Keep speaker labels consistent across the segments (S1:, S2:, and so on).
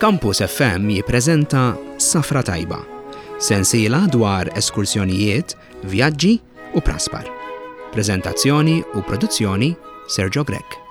S1: Campus FM jippreżenta Safra Tajba, sensiela dwar eskursjonijiet, vjaġġi u praspar. Preżentazzjoni u produzzjoni Sergio Grech.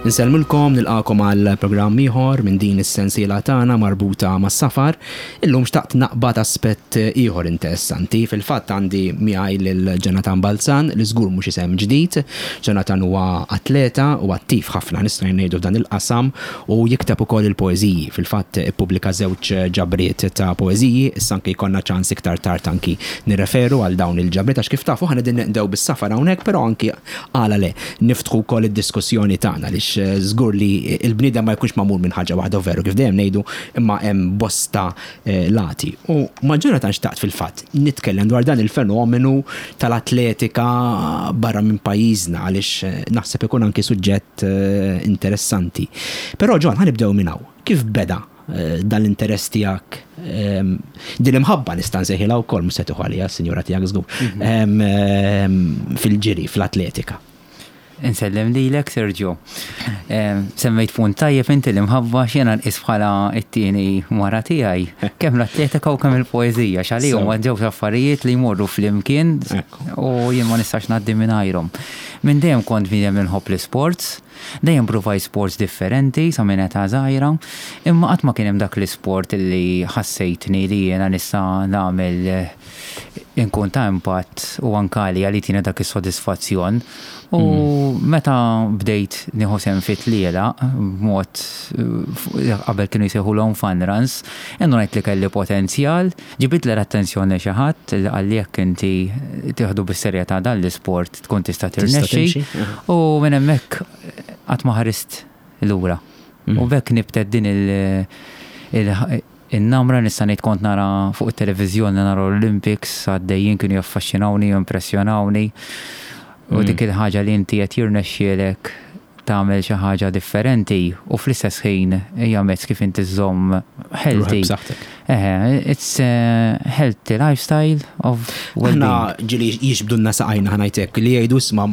S1: Insellmilkom nilqakom għal programm ieħor minn din is-sensiela tagħna marbuta mas-safar. Illum xtaqt naqbad aspett ieħor interessanti. Fil-fatt għandi miegħi lil Jonathan Balzan li żgur mhux isem ġdid. Jonathan huwa atleta u attiv ħafna nistgħu ngħidu f'dan il-qasam u jikteb ukoll il-poeżiji. Fil-fatt ippubblika żewġ ġabriet ta' poeżiji, issa anki jkollna ċans iktar tard anki nirreferu għal dawn il-ġabriet għax kif tafu aħna qegħdin neqdew bis-safar hawnhekk però anki għala le niftħu wkoll id-diskussjoni tagħna għaliex żgur li l-bniedem ma jkunx magħmul minn ħaġa waħda u veru kif dejjem ngħidu imma hemm bosta lati. U ma' Jonathan xtaqt fil-fatt nitkellem dwar dan il-fenomenu tal-atletika barra minn pajjiżna għaliex naħseb ikun anki suġġett interessanti. Però John ħa nibdew minn hawn. Kif beda dan l-interess tiegħek, din l-imħabba nista' nsejħilha wkoll mhux se tieħu għaliha s-sinjura tiegħek żgur, fil-ġiri, fl-atletika?
S2: Insellem lilek Sergio. Semmejt punt tajjeb inti l-imħabba x'jiena nqis bħala t-tieni mara tiegħi. Kemm l-atletika u kemm il-poeżija x'għalihom huma żewġ affarijiet li jmorru flimkien u jien ma nistax ngħaddi mingħajrhom. Minn dejjem kont bniedem li nħobb l-isports, dejjem pruvajt sports differenti sa minn età żgħira, imma qatt ma kien hemm dak l-isport li ħassejtni li jiena nista' nagħmel inkun ta' impatt u anke għalija li jtina dak is-sodisfazzjon. U meta bdejt nieħu sehem fi tlielaq b'mod qabel kienu jsejħulhom fun runs, indunajt li kelli potenzjal, ġibidli l-attenzjoni xi ħadd li qalli jekk inti tieħdu bis-serjetà dan l-isport tkun tista' tirnexxi. U minn hemmhekk qatt ma ħarist lura. U b'hekk nibtet din il- In-namra nista' ngħid kont nara fuq it-televiżjoni nara l-Olympics għaddejjin kienu jaffaxxinawni u jimpressjonawni. U dik il-ħaġa li inti qed jirnexxielek tagħmel xi ħaġa differenti u fl-istess ħin hija mezz kif inti żżomm healthy. Eħe, it's a healthy lifestyle of well-being.
S1: Aħna ġieli jixbdulna saqajna ħa ngħid hekk li jgħidu isma'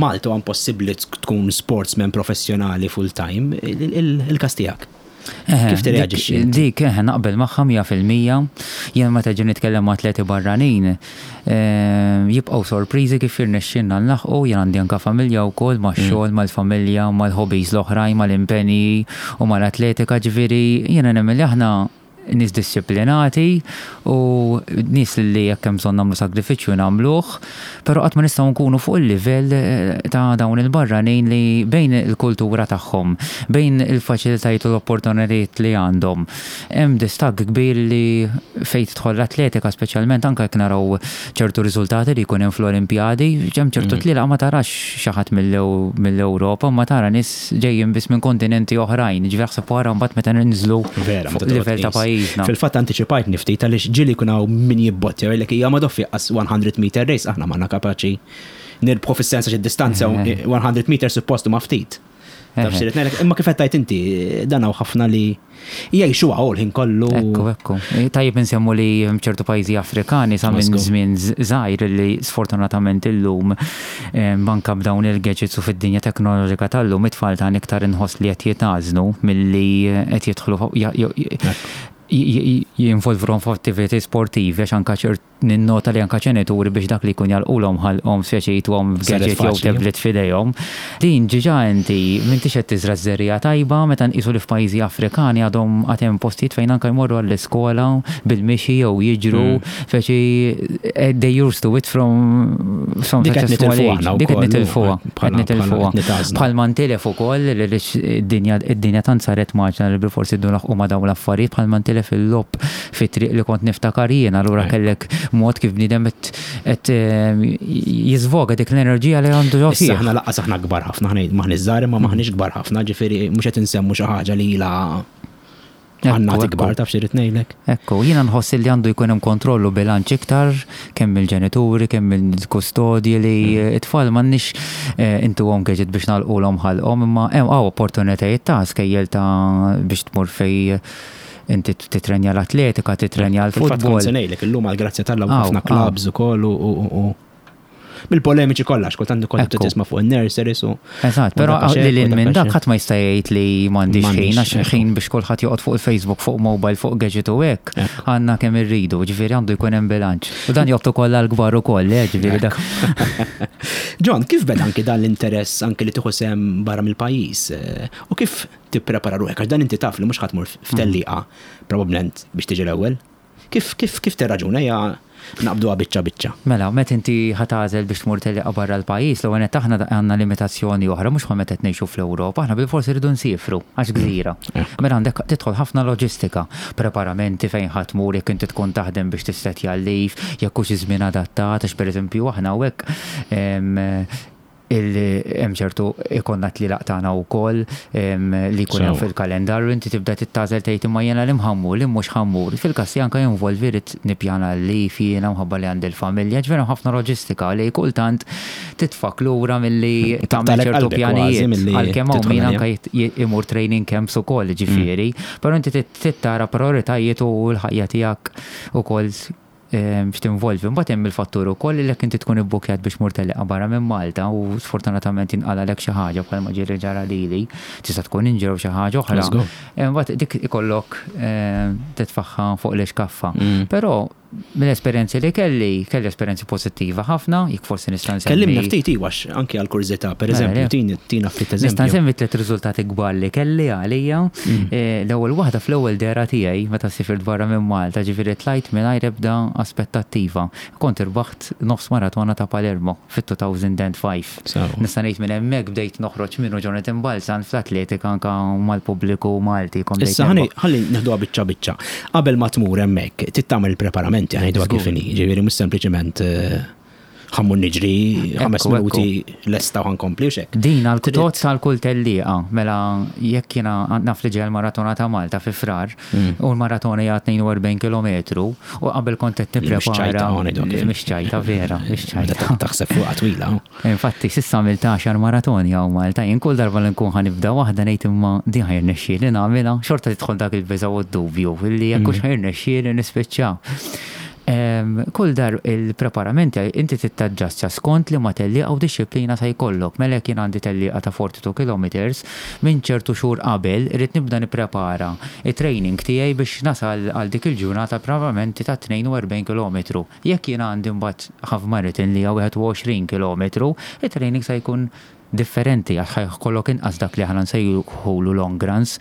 S1: Malta huwa impossibbli tkun sportsman professjonali full-time, il-każ tiegħek.
S2: Kif tirreaġixxi? Dik, eħe, naqbel magħha 100%. Jien meta ġi nitkellem ma' atleti barranin, jibqgħu sorpriżi kif jirnexxielna nlaħħqu, jien għandi anke familja wkoll, max-xogħol, mal-familja, mal-hobbies l-oħrajn, mal-impenji u mal-atletika, ġifieri jiena nemmen li aħna nies dixxiplinati u nies li jekk hemm bżonn nagħmlu sagrifiċċju nagħmluh, però qatt ma nistgħu nkunu fuq il-livell ta' dawn il-barranin li bejn il-kultura tagħhom, bejn il-faċilitajiet u l-opportunitajiet li għandhom, hemm distakk kbir li fejn tidħol l-atletika speċjalment anke jekk naraw ċertu riżultati li jkun hemm fl-Olimpjadi, hemm ċertu tlielaq ma tarax xi ħadd mill-Ewropa, ma tara nies ġejjin biss minn kontinenti oħrajn, ġifieri aħseb wara mbagħad meta ninżlu fuq livell ta' pajjiżna.
S1: Fil-fatt antiċipajtni ftit għaliex ġieli jkun hawn min jibbottja jgħidlek hija ma doffi qas 100 meter race aħna m'aħna kapaċi nirbħu fis-sens għax id-distanza 100 meter suppost huma ftit. Taf xi ngħidlek, imma kif qed tgħid inti dan hawn ħafna li jgħixuha hu l-ħin kollu.
S2: Ekku, ekku. Tajjeb insemmu li hemm ċertu pajjiżi Afrikani sa minn żmien żgħir li sfortunatament illum anke b'dawn il-gadgets u fid-dinja teknoloġika tal-lum it-tfal tagħna iktar inħoss li qed jitgħażnu milli qed jidħlu jinvolvruhom f'attivitajiet sportivi għax anke ċert Ninnota li anke ġenituri biex dak li jkun jagħlqulhom ħalqhom speċi jtuhom gadget jew tablet f'idejhom. Din ġiġa inti m'intix qed tiżra' ż-żerriegħa tajba meta nqisu li f'pajjiżi Afrikani għadhom għad hemm postijiet fejn anke jmorru għall-iskola bil-mixi jew jiġru speċi they used to it from from
S1: such a small age.
S2: Dik qed nitilfuha. Qed nitilfuha. Bħalma ntilef ukoll għaliex id-dinja tant saret mgħaġġla li bilfors irridu nlaħħqu ma' dawn l-affarijiet bħalma ntilef il-logħob fit-triq li kont niftakar jien, allura kellek mod kif bniedem qed jiżvoga dik l-enerġija li għandu ġo fih.
S1: Issa aħna lanqas aħna kbar ħafna, m'aħniex żgħar imma m'aħniex kbar ħafna, ġifieri mhux qed insemmu xi ħaġa li ilha għandna kbar taf xi rrid ngħidlek.
S2: Ekku, jiena nħoss li għandu jkun hemm kontroll u bilanċ iktar kemm mill-ġenituri, kemm mill-kustodji li t-tfal m'għandniex intuhom gadget biex nagħlqulhom ħalqhom imma hemm hawn opportunitajiet ta' skejjel ta' biex tmur fejn. Inti titrenja l-atletika, titrenja l-futbol.
S1: Fil-fatt kont se ngħidlek illum għall-grazzja t'Alla ħafna clubs ukoll u Bil-polemiċi kollha, xkultant kont tisma' fuq in-nurseries u.
S2: Eżatt, però li lil minn dak ħadd ma jista' jgħid li m'għandix ħin għax ħin biex kulħadd joqgħod fuq il-Facebook, fuq mobile, fuq gadget u hekk, għandna kemm irridu, ġifieri għandu jkun hemm bilanċ. U dan jgħodd ukoll għall-kbar ukoll, eh, ġifieri dak.
S1: John, kif beda anki dan l-interess anki li tieħu sehem barra mill-pajjiż? U kif tipprepara ruħek? Għax dan inti taf li mhux ħa tmur f'tellieqa probabbilment biex tiġi l-ewwel. Kif kif kif tirraġuna? Ejja naqbduha biċċa biċċa.
S2: Mela, meta inti ħa tagħżel biex tmur tellieqa barra l-pajjiż, l-ewwel nett aħna għandna limitazzjoni oħra, mhux bħal meta qed ngħixu fl-Ewropa, aħna bilfors irridu nsiefru għax gżira. Mela għandek tidħol ħafna loġistika, preparamenti fejn ħa tmur, jekk inti tkun taħdem biex tissettja l-leave, jekk hux iż-żmien adattat, għax pereżempju aħna hawnhekk hemm ċertu ikollna tlielaq tagħna wkoll li jkun hemm fil-kalendarju, inti tibda tagħżel tgħid imma jiena li mħammur, li mhux ħammur. Fil-każ tiegħi anke jinvolvi rrid nippjana l-leave jiena minħabba li għandi l-familja, ġifieri hemm ħafna loġistika li kultant titfgħek lura milli tagħmel ċertu pjanijiet. Għalkemm hawn min anke imur training camps ukoll ġifieri, però inti trid tara prioritajiet u l-ħajja tiegħek ukoll x'tinvolvi. Imbagħad hemm il-fattur ukoll li jekk inti tkun ibbukkjat biex tmur tellieqa barra minn Malta u sfortunatament jinqalgħalek xi ħaġa bħalma ġieli ġara lili, tista' tkun injury jew xi ħaġa oħra. Imbagħad dik ikollok titfagħha fuq l-ixkaffa. Però mill-esperjenzi li kelli, kelli esperjenzi pożittiva ħafna, jekk forsi nista' nsemmi.
S1: Kellimna ftit iwa anki għall-kurżità, pereżempju, tina ftit eżempju.
S2: Nista' nsemmi tliet riżultati kbar li kelli għalija. L-ewwel waħda fl-ewwel dehra tiegħi meta sifirt barra minn Malta, ġifieri tlajt mingħajr ebda aspettattiva. Kont irbaħt nofs maratona ta' Palermo fit-2005. Nista' ngħid minn hemmhekk bdejt noħroġ minnu Jonathan Balzan fl-atletika anke mal-pubbliku Malti.
S1: Issa ħalli neħduha biċċa biċċa. Qabel ma tmur hemmhekk, trid tagħmel il-preparamenti, ħa ngħiduha kif inhi, ġifieri mhux sempliċement ħammur niġri ħames minuti lesta u ħankompli u xek.
S2: Din għal-tot tal-kull tellieqa, mela jekk jiena naf li ġej maratona ta' Malta fi Frar, u l-maratona hija 42 km, u qabel kont qed nipprepara. Mhix ċajta vera, mhix ċajta.
S1: Taħseb fuqha twila.
S2: Infatti, s'issa għamilt għaxar maratoni hawn Malta, jien kull darba li nkun ħa nibda waħda ngħid imma din ħa jirnexxieli nagħmilha, xorta tidħol dak il-biża' u d-dubju li jekk hux ħa jirnexxieli nispiċċa. Kull dar il-preparamenti inti trid taġġastja skont liema tellieqa u dixxiplina se jkollok. Mela jekk jien għandi tellieqa ta' 42 kilometers, minn ċertu xhur qabel irrid nibda nipprepara t-training tiegħi biex nasal għal dik il-ġurnata preparamenti ta' 42 kilometru. Jekk jiena għandi mbagħad half marathon li hija 21 kilometru, it-training se jkun differenti għax ħa jkollok inqas dak li aħna nsejħulu long runs.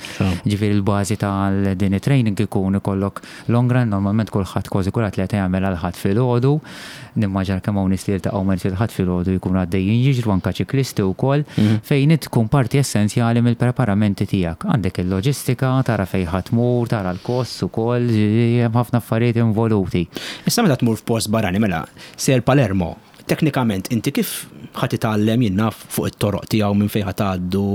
S2: Ġifieri l-bażi tal din it-training ikun ikollok long run, normalment kulħadd kważi kull atleta jagħmel għal Ħadd filgħodu. Nimmaġina kemm hawn nies li jiltaqgħu ma' nies il-Ħadd filgħodu jkunu għaddejjin jiġru anke ċiklisti wkoll, fejn int tkun parti essenzjali mill-preparamenti tiegħek. Għandek il-loġistika, tara fejn ħa tmur, tara l-kosts ukoll, hemm ħafna affarijiet involuti.
S1: Issa meta tmur f'post barrani mela sejjer Palermo, Teknikament inti kif ħa titgħallem jien naf fuq it-toroq tiegħu minn fejn ħa tgħaddu,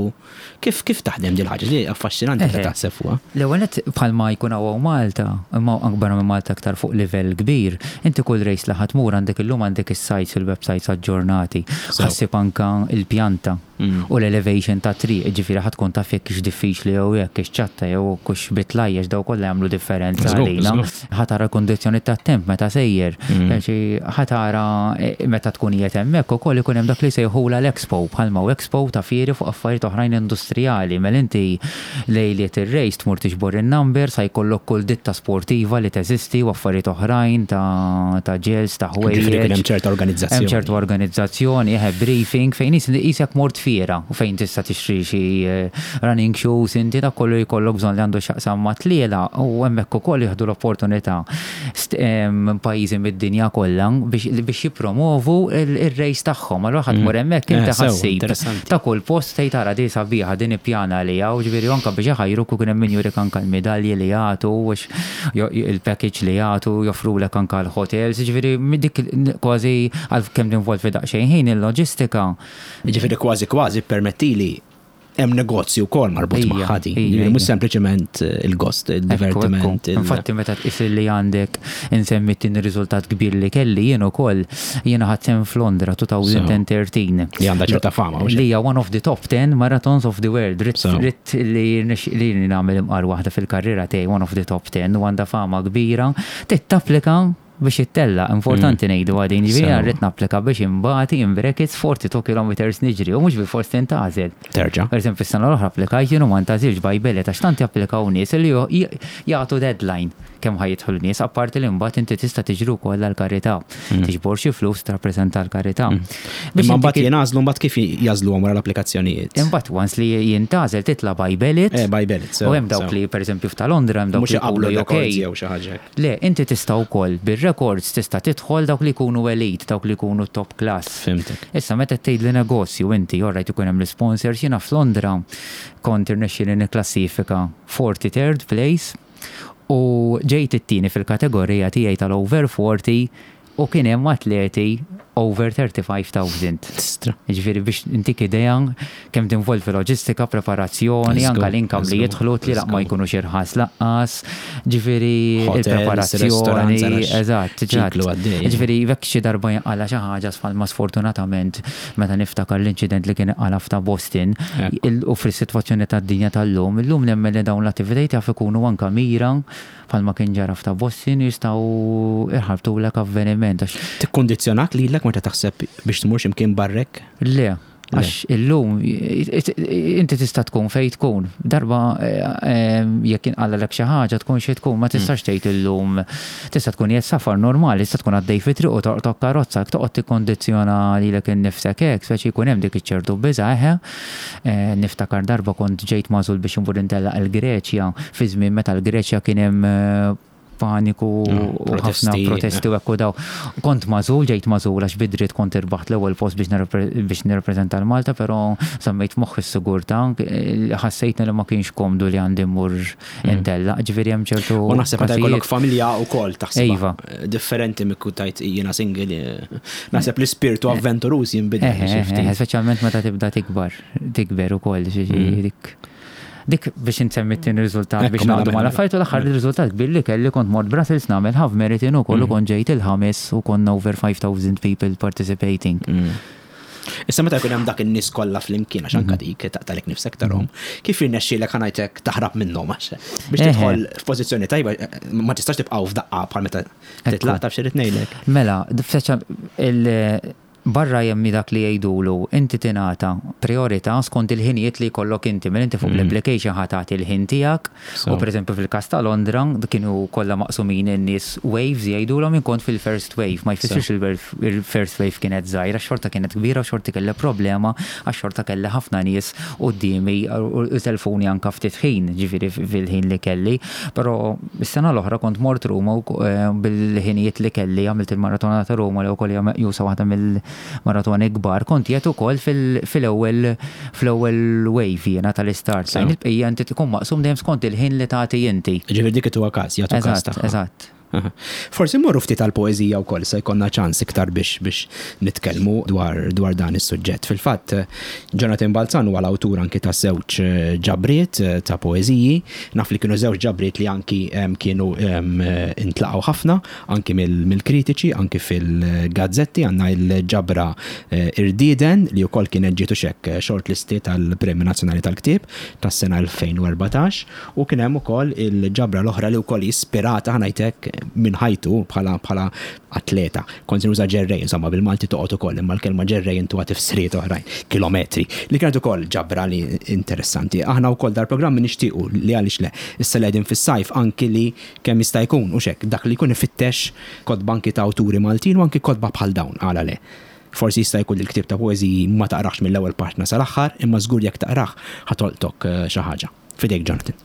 S1: kif kif taħdem din il-ħaġa? Di affaxxinanti meta taħseb fuqha.
S2: L-ewwel nett bħalma jkun hawn Malta, imma anke barra minn Malta aktar fuq livell kbir, inti kull race li ħa tmur għandek illum għandek is-sites u l-websites aġġornati. Ħa ssib anke l-pjanta u l-elevation tat-triq, jiġifieri ħa tkun taf jekk hix diffiċli jew jekk hix ċatta jew hux bitlajjex dawn kollha jagħmlu differenza għalina. Ħa tara l-kundizzjoni tat-temp meta sejjer, ħa tara meta tkun qiegħed hemmhekk ukoll ikun hemm dak li jsejħulha l-expo, bħalma hu expo ta' fieri fuq affarijiet oħrajn industrijali. Mela inti lejliet ir-race tmur tiġbor in-numbers, ħa jkollok kull ditta sportiva li teżisti u affarijiet oħrajn ta' gels, ta' ħwejjeġ.
S1: Ġifieri jkun hemm ċerta organizzazzjoni.
S2: Hemm ċertu organizzazzjoni, eħe briefing fejn qisek mort fiera u fejn tista' tixtri xi running shoes inti dak kollu jkollok bżonn li għandu x'jaqsam mat-tlielaq u hemmhekk ukoll jieħdu l-opportunità pajjiżi mid-dinja kollha biex jippromovu r-race tagħhom. Allura ħa tmur hemmhekk inti ħa ssib ta' kull post tgħid ara di sabiħa din ippjana għaliha u ġifieri anke biex iħajruk u kien hemm min jurik anke l-midalji li jagħtu il-package li jagħtu joffrulek anke l-hotels, ġifieri dik kważi għal kemm tinvolvi daqsxejn ħin il-loġistika.
S1: Ġifieri kważi kważi ppermettili. Hemm negozju wkoll marbut magħha din. Jiġifieri mhux sempliċement il-gost, il-divertiment.
S2: Infatti meta tqis li għandek insemmi t-tieni riżultat kbir li kelli jien ukoll, jiena ħadt sehem f'Londra 2013.
S1: Li għandha ċerta fama.
S2: Li hija one of the top 10 marathons of the world. Ridt li nagħmel imqar waħda fil-karriera tiegħi one of the top 10 u għandha fama kbira. Trid tapplika biex ittella, importanti ngħidu għadin, ġifieri jiena rrid napplika biex inbati in brackets 42 kilometers niġri u mhux bilfors tintgħażel.
S1: Terġa'.
S2: Per eżempju, s-sena l-oħra applikajt jien u ma ntgħażilx by ballot għax tant japplikaw nies li jagħtu deadline kemm ħa jidħlu nies, apparti li mbagħad inti tista' tiġri wkoll għall-karità. Tiġbor xi flus tirrappreżenta l-karità.
S1: Imma mbagħad jingħażlu mbagħad kif jagħżluhom wara l-applikazzjonijiet?
S2: Imbagħad once li jintgħażel titla' by ballot.
S1: Eh, by ballot.
S2: U hemm dawk li pereżempju f'ta' Londra hemm dawk li jkunu
S1: UK. Jew xi ħaġa hekk.
S2: Le, inti tista' wkoll bir-records tista' tidħol dawk li jkunu elite, dawk li jkunu top class.
S1: Fhimtek.
S2: Issa meta qed tgħidli negozju inti, all right ikun hemm l-isponsors, jiena f'Londra kont irnexxieli nikklassifika 43rd place u ġejt it-tieni fil-kategorija tiegħi tal-over 40 u kien hemm atleti over 35,000.
S1: Tistra.
S2: Jiġifieri biex intik idea kemm tinvolvi loġistika, preparazzjoni, anke l-income li jidħlu tlielaq ma jkunux irħas laqqas, ġifieri il-preparazzjoni, eżatt, eżatt. Ġifieri jekk xi darba jinqala' xi ħaġa bħalma sfortunatament meta niftakar l-inċident li kien inqala' f'ta' Boston u fis-sitwazzjoni tad-dinja tal-lum, illum nemmen li dawn l-attivitajiet jaf ikunu anke mira Bħalma kien ġara f'ta' Boston jistgħu jħarbtulek avveniment għax.
S1: Tikkundizzjonak lilek meta taħseb biex tmur xi mkien barrek?
S2: Le, għax illum inti tista' tkun fejn tkun. Darba jekk inqalalek xi ħaġa tkun xi tkun, ma tistax tgħid illum tista' tkun qiegħed safar normali, tista' tkun għaddej fi triq u tolqtok karozza, jekk toqgħod tikkondizzjona lilek innifsek hekk, speċi jkun hemm dik iċ-ċertu biża' eħe. Niftakar darba kont ġejt magħżul biex immur intellaq il-Greċja fi żmien meta l-Greċja kien hemm paniku u ħafna protesti u hekk u daw. Kont magħżul, ġejt magħżul għax bi dritt kont irbaħt l-ewwel post biex nirrappreżenta 'l Malta, però żammejt f'moħħi s-sigurtà, ħassejtni li ma kienx komdu li għandi mmur intellaq, ġifieri hemm ċertu.
S1: U naħseb meta jkollok familja wkoll taħseb. Iva. Differenti minn kieku tgħid jiena single, naħseb l-ispirtu avventuruż jinbidel.
S2: Speċjalment meta tibda tikbar, tikber ukoll, dik. Dik biex insemmi t-tieni riżultat biex mela, ngħaddu mela, mal-affarijiet u l-aħħar mela. riżultat kbir li kelli kont mort Brussels nagħmel half marathon ukoll u kont ġejt il-ħames u konna over 5000 people participating.
S1: Issa meta jkun hemm dak in-nies kollha flimkien għax anke mhm. dik taqtalek nifsek tarhom, mhm. kif jirnexxielek ħanajtek taħrab minnhom għax biex tidħol f'pożizzjoni tajba ma tistax tibqgħu f'daqqa bħal meta titlaq taf xi ngħidlek.
S2: Mela, il barra jemmi dak li jgħidulu inti tingħata priorità skont il-ħinijiet li jkollok inti, mela inti fuq mhm. l-application ħa tagħti l-ħin tiegħek U pereżempju fil-każ ta' Londra, kienu kollha maqsumin in-nies waves jgħidulhom, jien kont fil-first wave, ma jfissirx il-first wave kienet żgħira, xorta kienet kbira u xorta kelli problema għax xorta kelli ħafna nies quddiemi u telfuni anke ftit ħin, ġifieri fil-ħin li kelli. Però s-sena l-oħra kont mort Ruma u bil-ħinijiet li kelli għamilt il-maratona ta' Ruma li wkoll hija meqjusa waħda mill maratoni kbar, kont qiegħed ukoll fil-ewwel fl-ewwel wave jiena tal-istart line. Il-bqija inti tkun maqsum dejjem skont il-ħin li tagħti inti.
S1: Ġifieri dik ituha każ, jagħtu każ
S2: tagħha. Eżatt.
S1: Forsi mmorru ftit għall-poeżija wkoll se jkollna ċans iktar biex biex nitkellmu dwar dwar dan is-suġġett. Fil-fatt, Jonathan Balzan huwa l-awtur anki ta' żewġ ġabriet ta' poeżiji. Naf li kienu żewġ ġabriet li anki kienu intlaqgħu ħafna Anki mill-kritiċi, anki fil-gazzetti għandna l-ġabra Irdieden li wkoll kienet ġiet u x'hekk shortlisted għall-Premju Nazzjonali tal-Ktieb tas-sena 2014 u kien hemm ukoll il-ġabra l-oħra li wkoll hi ispirata ħa ngħid hekk minn ħajtu bħala bħala atleta. Kont se nuża ġerrej, insomma bil-Malti toqgħod ukoll imma l-kelma ġerrej intuha tifsiriet oħrajn, kilometri, li kienet ukoll ġabra li interessanti. Aħna wkoll dal-programm nixtiequ li għaliex le, issa li qegħdin fis-sajf anki li Kemm jista' jkun, hux hekk, dak li jkun ifittex kotba anki ta' awturi Maltin u anki kotba bħal dawn, għala le? Forsi jista' jkun li l-ktieb ta' poeżiji ma taqrahx mill-ewwel paġna sal-aħħar, imma żgur jekk taqrah ħa tolqtok xi ħaġa. F'idejk Jonathan.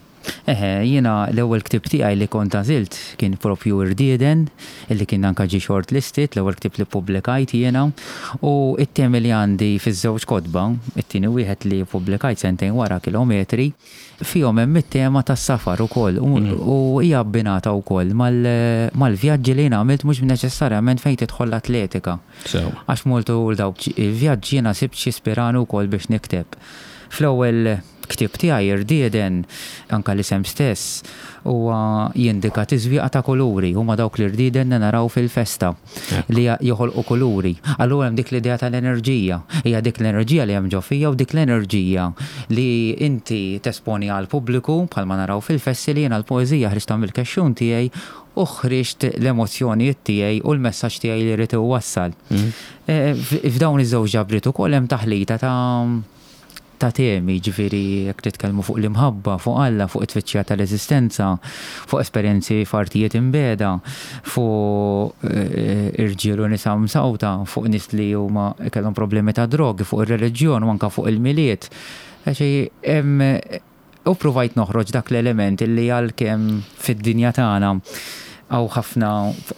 S2: Eħe, jiena l-ewwel ktieb tiegħi li kont għażilt kien propju Irdieden, illi kien anke ġie shortlisted, l-ewwel ktieb li ppubblikajt jiena, u t-temi li għandi fiż-żewġ kotba, it-tieni wieħed li ppubblikajt sentejn wara Kilometri, fihom hemm it-tema tas-safar ukoll u hija abbinata wkoll mal-vjaġġi li jiena għamilt mhux neċessarjament fejn tidħol l-atletika. Għax matul dawk il-vjaġġi jiena sibt x'ispirani wkoll biex nikteb. Fl-ewwel ktieb tiegħi, Irdieden, anke l-isem stess huwa jindika tiżwieqa ta' kuluri, huma dawk l-irdieden li naraw fil-festa li joħolqu kuluri. Allura hemm dik l-idea tal-enerġija. Hija dik l-enerġija li hemm ġo fija u dik l-enerġija li inti tesponi għall-pubbliku bħalma naraw fil-festi li jiena l-poeżija ħriġtha mill-kexxun tiegħi u ħriġt l-emozzjonijiet tiegħi u l-messaġġ tiegħi li rrid iwassal. F'dawn iż-żewġ ġabriet ukoll hemm taħlita ta' ta' temi, jiġifieri jekk nitkellmu fuq l-imħabba, fuq Alla, fuq it-tfittxija tal-eżistenza, fuq esperjenzi f'artijiet imbiegħda, fuq irġiel u nisa msawta, fuq nies li huma kellhom problemi ta' drogi, fuq ir-reliġjon u anke fuq il-Milied. Hemm U ppruvajt noħroġ dak l-element illi għalkemm fid-dinja tagħna hawn ħafna,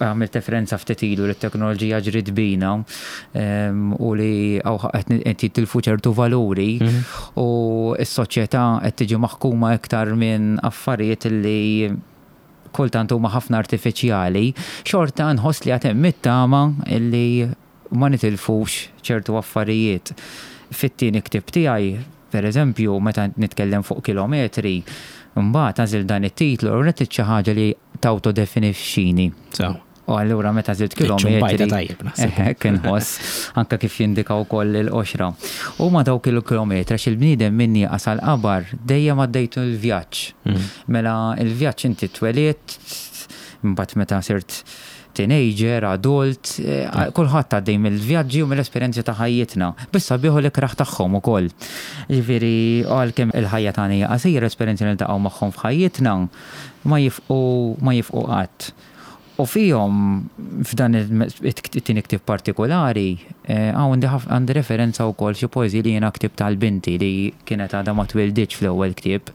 S2: għamilt referenza ftit ilu li t-teknoloġija ġriet bina u li hawn qed jitilfu ċertu valuri u s-soċjetà qed tiġi maħkuma iktar minn affarijiet li kultant huma ħafna artifiċjali, xorta nħoss li għad hemm it-tama illi ma nitilfux ċertu affarijiet. Fit-tieni ktieb tiegħi, per eżempju, meta nitkellem fuq kilometri, imbagħad għażilt dan it-titlu u rrid xi ħaġa li tawtodefinixxini.
S1: Sew.
S2: U allura meta għażilt kilometri.
S1: Ċumbajta tajjeb naħseb.
S2: Hekk inħoss, anke kif jindika wkoll il-qoxra. Huma dawk il-kilometri għax il-bniedem min nieqas għall-qabar dejjem għaddejtu l-vjaġġ. Mela l-vjaġġ inti twelidt, imbagħad meta sirt teenager, adult, kulħadd għaddej mill-vjaġġi u mill-esperjenzi ta' ħajjitna. Biss sabiħ u l-ikrah tagħhom ukoll. Jiġifieri għalkemm il-ħajja tagħna hija qasira, l-esperjenzi li niltaqgħu magħhom f'ħajjitna ma jifqu ma jifqu qatt. U fihom f'dan it-tieni ktieb partikulari hawn għandi referenza wkoll xi poeżiji li jiena ktibt għal binti li kienet għadha ma twilditx fl-ewwel ktieb.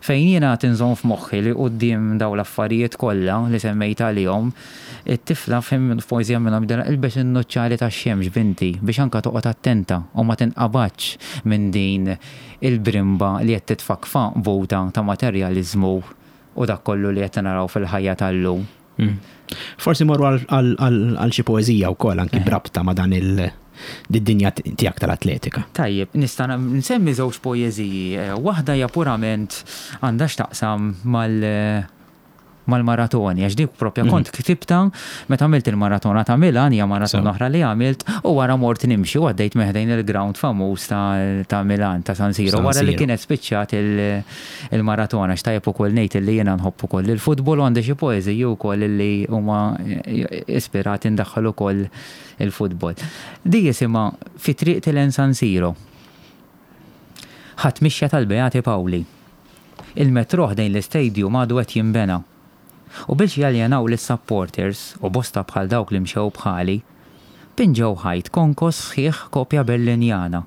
S2: Fejn jiena għad inżomm f'moħħi li quddiem dawn l-affarijiet kollha li semmejt għalihom, it-tifla f'poeżija minnhom jgħidilha ilbes in-nuċċali tax-xemx binti biex anke toqgħod attenta u ma tinqabadx minn din il-brimba li qed titfgħek f'għanqbuta ta' materjaliżmu u dak kollu li qed naraw fil-ħajja tal-lum.
S1: Forsi morru għal xi poeżija wkoll anki brabta ma' dan il dinja tiegħek tal-atletika.
S2: Tajjeb, nista' nsemmi żewġ poeżiji. Waħda hija purament għandha x'taqsam mal mal-maratoni, għax dik propja kont ktibta meta għamilt il-maratona ta' Milan, hija maratona oħra li għamilt, u wara mort nimxi u għaddejt minn ħdejn il-ground famuż ta' Milan, ta' San Siro, wara li kienet spiċċat il-maratona, għax tajjeb ukoll ngħid illi jiena nħobb ukoll il-futbol u għandi xi poeżiji wkoll illi huma ispirati ndaħħal ukoll il-futbol. Di jisimha Fi triqti lejn San Siro. Ħadt mixja tal-Beati Pawli. Il-metrò ħdejn l-istadium għadu qed jinbena. U biex jaljenaw lis-supporters, u bosta bħal dawk li mxew bħali, pinġew ħajt konkos sħiħ kopja Berlinjana.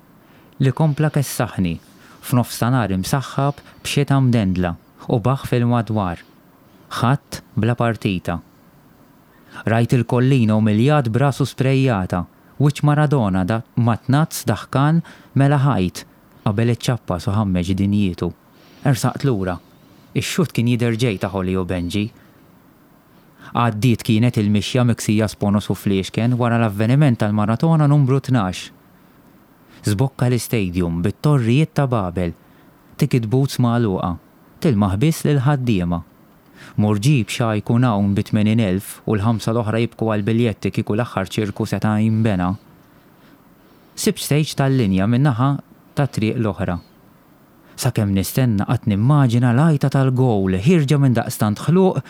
S2: li kompla kessaħni f'nofstanhar imsaħħab b'xita mdendla u baħħ fil-madwar. Ħadd bla partita. Rajt il-Collina umiljat b'rasu sprejjata, wiċċ Maradona da matnazz daħkan mela ħajt qabel iċċappas u ħammeġ dinjietu. Ersaqt lura. Ix-xutt kien jidher ġej ta' Holly u Benji. Għaddiet kienet il-mixja miksija sponos u fliexken wara l-avveniment tal-maratona numbru 12. Żbokka l-istadium bit-torrijiet ta' Babel, ticket booths magħluqa, tilmaħ biss lill-ħaddiema. Mur ġib x'ha jkun hawn bi 80,000 u l-ħamsa l-oħra jibku għall-biljetti kieku l-aħħar ċirku seta' jinbena. Sibt stage tal-linja min-naħa tat-triq l-oħra. Sakemm nistenna qatt nimmaġina l-għajta tal-gowl ħierġa minn daqstant ħluq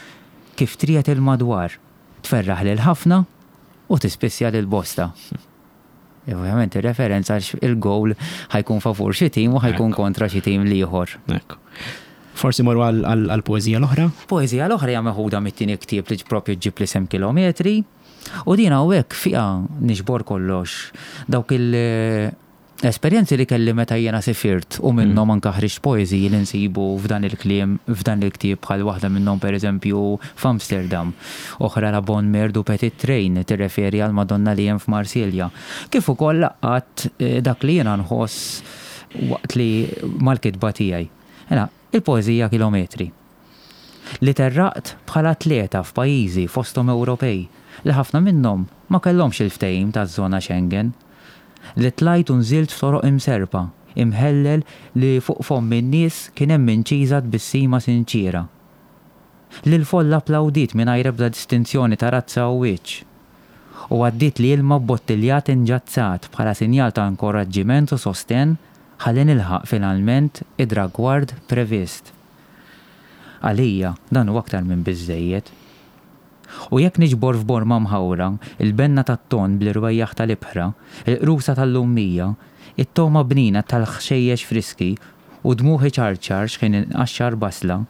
S2: kif triegħed il-madwar, tferraħ lil ħafna u tispissja lil bosta. Ovvjament ir-referenza għax il-gowl ħa jkun favur xi tim u ħa jkun kontra xi tim l-ieħor.
S1: Ekku. Forsi morru għall-poeżija l-oħra?
S2: Poeżija l-oħra hija meħuda mit-tieni ktieb li propju ġġib l-isem Kilometri. U din hawnhekk fiha niġbor kollox dawk il- Esperjenzi li kelli meta jiena sifirt u minnhom anke ħriġt poeżiji li nsibu f'dan il-kliem, f'dan il-ktieb bħal waħda minnhom pereżempju f'Amsterdam, oħra La Bonne Mère du Petit Train tirreferi għall-Madonna li hemm f'Marsilja, kif ukoll laqqat dak li jiena nħoss waqt li mal-kitba tiegħi. Mela, il-poeżija Kilometri. Li terraqt bħala atleta f'pajjiżi fosthom Ewropej li ħafna minnhom ma kellhomx il-ftehim taż-żona Schengen. Li tlajt u nżilt f'toroq imserrpa, imħellel li fuq fomm in-nies kien hemm inċiża tbissima sinċiera. Li l-folla applawdiet mingħajr ebda distinzjoni ta' razza u wiċċ. U għaddietli ilma bbottiljat inġazzat bħala sinjal ta' inkoraġġiment u sostenn ħalli nilħaq finalment id-dragward previst. Għalija, dan hu aktar minn biżżejjed. U jekk niġbor f'borma mħawra il-benna tat-tonn bl-irwejjaħ tal-ibħra, il-qrusa tal-lummija, it-togħma bnina tal-ħxejjex friski u dmugħ iċarċar x'ħin inqaxxar basla,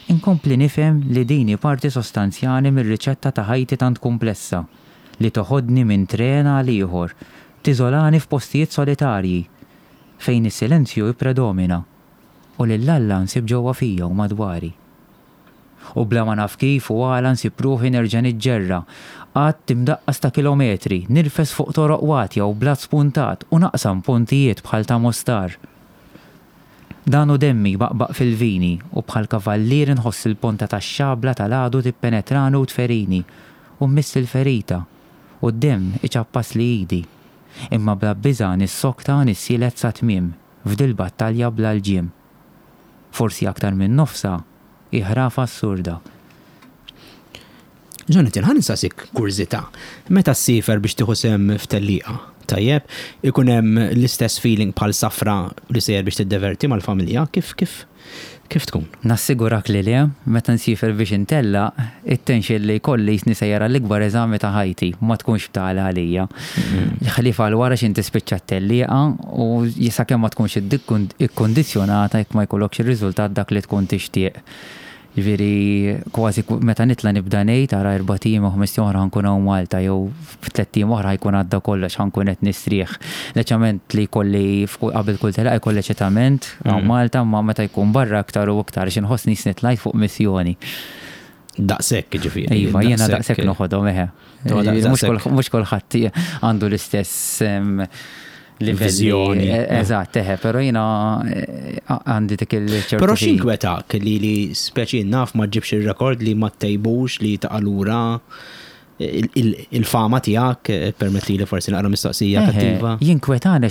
S2: inkompli nifhem li din hi parti sostanzjali mir-riċetta ta' ħajti tant kumplessa li toħodni minn tren għal ieħor, tiżolani f'postijiet solitarji fejn is-silenzju jippredomina u lil Alla nsib ġewwa fija u madwari. U bla ma naf kif u għala nsib ruħi nerġa' niġġerra, għadd imdaqqas ta' kilometri, nirfes fuq toroq watja u blat spuntat u naqsam pontijiet bħal ta' Mostar. Dan hu demmi jbaqbaq fil-vini u bħal kavallier inħoss il-ponta tax-xabla tal-għadu tippenetrani u tferini u mmiss il-ferita u d-demm iċappasli idi. Imma bla biża' nissokta nissielet sat-tmiem f'dil-battalja bla lġiem. Forsi aktar minn nofsha hi ħrafa assurda.
S1: Jonathan, ħa nistaqsik kurżità. Meta ssiefer biex tieħu sehem f'tellieqa, tajjeb, ikun hemm l-istess feeling bħal safra li sejjer biex tiddeverti mal-familja, kif kif kif tkun?
S2: Nassigurak li le, meta nsiefer biex intellaq, it-tension li jkolli jisni sejjer għall-ikbar eżami ta' ħajti, ma tkunx btala għalija. Ħlief għal wara x'inti tispiċċa t-tellieqa u sakemm ma tkunx ikkundizzjonata jekk ma jkollokx ir-riżultat dak li tkun tixtieq. Ġifieri kważi meta nitla' nibda ngħid ara erbat ijiem jew ħmest ijiem oħra ħa nkun hawn Malta jew f'tlett ijiem oħra ħa jkun għadda kollox ħa nkun qed nistrieħ. L-eċċament li jkolli qabel kull tellieqa jkolli eċitament hawn Malta imma meta jkun barra iktar u iktar għax inħossni qisni tlajt fuq missjoni.
S1: Daqshekk jiġifieri.
S2: Iva, jiena daqshekk noħodhom eħe. Mhux kulħadd għandu l-istess
S1: livelli.
S2: E, eżatt, eħe, però jiena e, għandi dik il-ċertu.
S1: Però x'inkwetak li li speċi naf ma ġibx ir-rekord li ma tejbux li taqa' lura il-fama tiegħek, eh, permetti li forsi naqra mistoqsija kattiva.
S2: Jinkwetani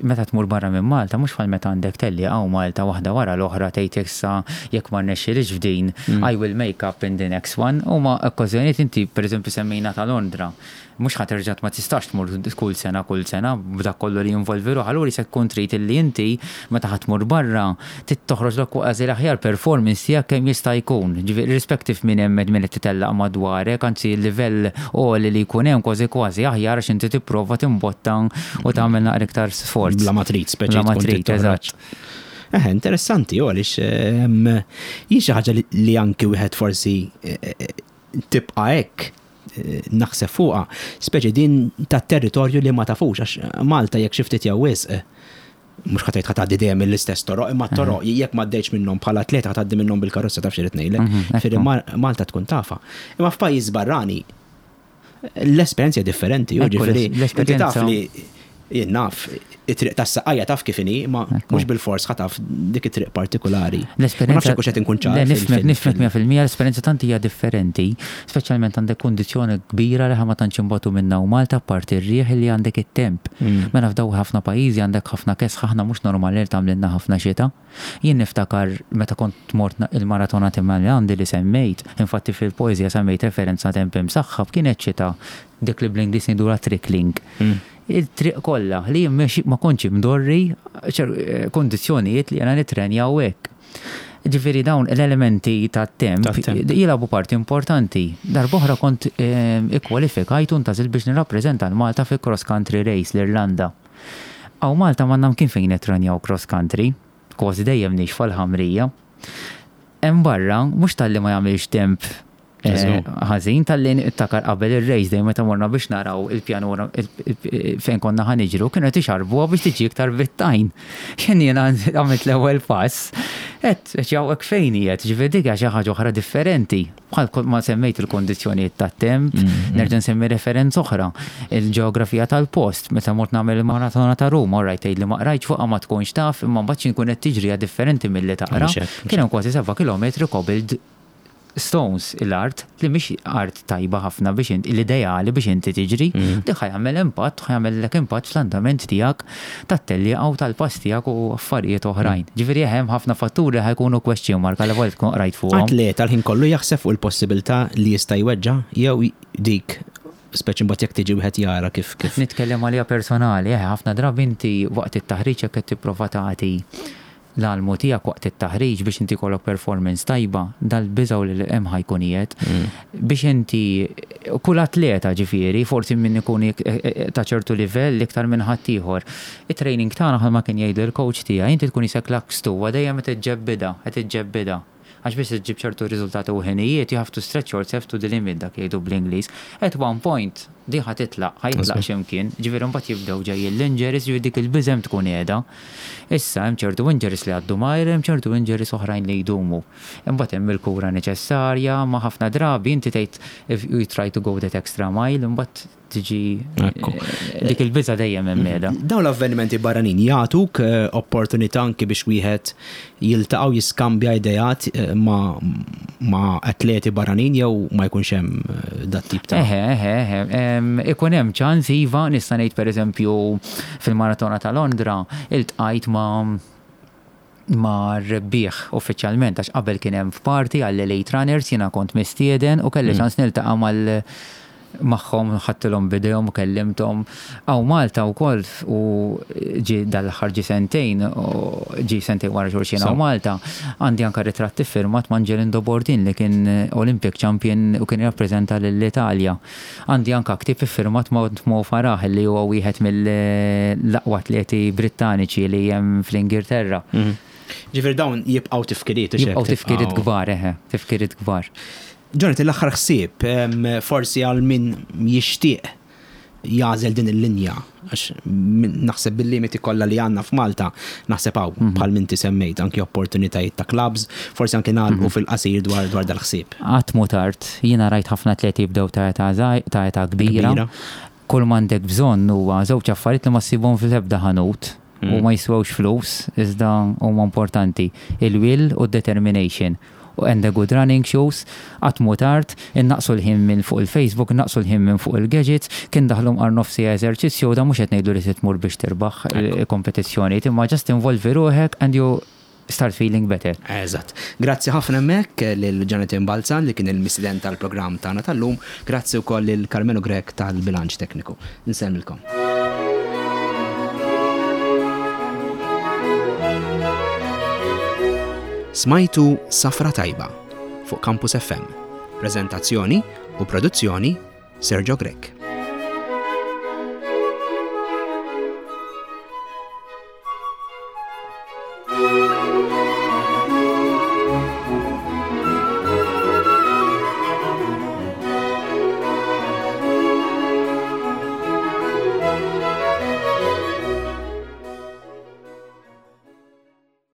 S2: meta tmur barra minn Malta, mhux bħal meta għandek tellieqa hawn Malta waħda wara l-oħra tgħid issa jekk ma rnexxilix f'din, I will make up in the next one. Huma okkażjonijiet inti pereżempju semmejna ta' Londra. Mhux ħa terġa' ma tistax tmur kull sena kull sena b'dak kollu li jinvolvi ruħha, allura se tkun trid illi inti meta ħa tmur barra trid toħroġlok kważi l-aħjar performance tiegħek kemm jista' jkun. Ġifieri irrispective minn hemm min qed titellaq madwarek, anzi l-livell għoli li jkun hemm kważi kważi aħjar għax inti tipprova timbotta u tagħmel naqra iktar sforz.
S1: Bla ma trid, speċi
S2: Bla ma trid, eżatt.
S1: Eħe, interessanti, u għaliex ehm, jien xi ħaġa li anki wieħed forsi eh, eh, tibqa' hekk eh, naħseb fuqha, speċi din ta' territorju li ma tafux, għax Malta jekk xi ftit jew wisq, mhux ħa tgħid ħa tgħaddi dejjem mill-istess toroq, imma t-toroq jekk ma għaddejtx minnhom bħala atleta ħa tgħaddi minnhom bil-karozza taf x'irid ngħidlek. Ġifieri Malta tkun tafha. Imma f'pajjiż barrani l-esperjenza hija differenti, ġifieri inti taf li jien naf, it-triq tas-Saqqajja taf kif inhi, imma mhux bilfors ħa taf dik it-triq partikulari. Ma nafx jekk hux qed inkun ċar.
S2: Nifhmek, nifhmek 100%, l-esperjenza tant hija differenti, Speċjalment għandek kundizzjoni kbira li aħna ma tantx inbatu minnha hawn Malta apparti r-riħ li għandek it-temp. Mela f'dawk ħafna pajjiżi għandek ħafna kesħa aħna mhux normali li tagħmlilna ħafna xita. Jien niftakar meta kont mort il-maratona ta' Milan li semmejt, infatti fil-poeżija semmejt referenza temp imsaħħab, kienet xita dik li bl-Ingliż ngħidulha trickling. Il-triq kollha li jien ma kontx imdorri kundizzjonijiet li jiena nittrenja u hekk. Ġifieri dawn l-elementi tat-temp jilagħbu parti importanti. Darb'oħra kont ikkwalifikajt u ntgħażilt biex nirrappreżenta 'l Malta fi cross country race l-Irlanda. Hawn Malta m'għandna mkien fejn nittrenjaw cross country, kważi dejjem nixfa l-ħamrija. Hemm barra mhux talli ma jagħmilx temp. Eh, ħażin talli niftakar qabel ir-race day meta morna biex naraw il-pjanura fejn konna ħa niġru kienu qed ixarbuha biex tiġi iktar bit-tajn. X'ħin jiena għamilt l-ewwel pass, qed hekk fejn qiegħed, ġifieri dik hija xi ħaġa oħra differenti. Bħal ma semmejt il-kondizzjonijiet tat-temp, mm-hmm. nerġa' nsemmi referenza oħra, il-ġeografija tal-post, meta mort nagħmel il-maratona ta' Ruma, orajt tgħid li ma qrajtx fuqha ma tkunx taf, imma mbagħad xi nkun qed tiġri differenti milli taqra. Kien hemm kważi 7 kilometri cobbled stones l-art li mhix art tajba ħafna biex inti l-ideali biex inti tiġri, mm. dik ħa jagħmel impatt, ħa jagħmellek impatt fl-andament tiegħek tat-tellieqa u tal-pass tiegħek u affarijiet oħrajn. Mm. Ġifieri hemm ħafna fatturi ħa jkunu question mark għal volta tkun qrajt fuqhom.
S1: Atleta l-ħin kollu jaħseb fuq il-possibilità li jista' jweġġa' jew dik speċi mbagħad jekk tiġi wieħed jara kif kif.
S2: Nitkellem għalija personali, eh, ħafna drabi inti waqt it-taħriġ jekk qed tipprova tagħti l-almu tiegħek waqt it-taħriġ biex inti jkollok performance tajba, dal-biża' u li hemm ħa jkun qiegħed. Biex inti, kull atleta ġifieri, forsi min ikun ta' ċertu livell iktar minn ħaddieħor. It-training tagħna bħalma kien jgħidli l-coach tiegħi, inti tkun qisek lakstuwa dejjem qed iġġebbidha, qed iġġebbidha. Għax biex iġġib ċertu riżultati u ħinijiet, you have to stretch yourself to the limit dak jgħidu bl-Ingliż. At one point, din ħa titlaq, ħa jitlaq xi mkien, ġifieri mbagħad jibdew ġejjin l-injuries, ġifieri dik il-biża' hemm tkun qiegħda. Issa hemm ċertu injuries li jgħaddu malajr, hemm ċertu injuries oħrajn li jdumu. Imbagħad hemm il-kura neċessarja, ma ħafna drabi inti tgħid if you try to go that extra mile, imbagħad tiġi dik il-biża' dejjem hemm qiegħda.
S1: Dawn l-avvenimenti barranin jagħtuk opportunità anki biex wieħed jiltaqa' u jiskambja ideat ma' ma' atleti barranin jew ma jkunx hemm dat-tip ta'
S2: Eħe, eħe, eħe. Ikun hemm ċans iva, nista' ngħid pereżempju fil-maratona ta' Londra iltqajt ma' ma' rebbieħ uffiċjalment għax qabel kien hemm f'party għall-elite runners jiena kont mistieden u kelli ċans niltaqa' mal magħhom ħadtilhom b'idejhom u kellimthom. Hawn Malta wkoll u ġie dal-aħħar ġie sentejn, ġie sentejn wara xulxin hawn Malta, għandi anke ritratt iffirmat ma' Angelindo Bordin li kien Olympic champion u kien jirrappreżenta lill-Italja. Għandi anke ktieb iffirmat ma' Mo Farah li huwa wieħed mill-aqwa atleti Brittaniċi li hemm fl-Ingilterra.
S1: Ġifieri dawn jibqgħu tifkiriet,
S2: hux hekk? Jibqgħu tifkiriet kbar, eħe, tifkiriet kbar.
S1: Jonathan, l-aħħar ħsieb, forsi għal min jixtieq jagħżel din il-linja, għax naħseb bil-limiti kollha li għandna f'Malta, naħseb hawn mhm. bħal minti semmejt anki opportunitajiet ta' clubs, forsi anki nagħlqu mhm. fil-qasir dwar dwar dal-ħsieb.
S2: Qatt mhu tard, jiena rajt ħafna atleti jibdew ta' età ta' età kbira. Kull m'għandek bżonn huwa żewġ affarijiet li ma ssibhom fl-ebda ħanut u mhm. ma jiswewx flus, iżda huma importanti, il-will u d-determination. And the good running shoes, qatt mhu tard, innaqqsu l-ħin minn fuq il-Facebook, innaqqsu l-ħin minn fuq il-gadgets, kien daħlu mqar nofs siegħa eżerċizzju, u dan mhux qed ngħidlu li trid tmur biex tirbaħ kompetizzjonijiet, imma just involvi ruħek and you start feeling better.
S1: Eżatt. Grazzi ħafna hemmhekk lil Jonathan Balzan li kien il-mistieden tal-programm tagħna tal-lum. Grazzi wkoll lil Karmenu Grech tal-bilanċ tekniku. Insellmilkom. Smajtu Safra Tajba fuq Campus FM. Preżentazzjoni u produzzjoni Sergio Grech. Thank you.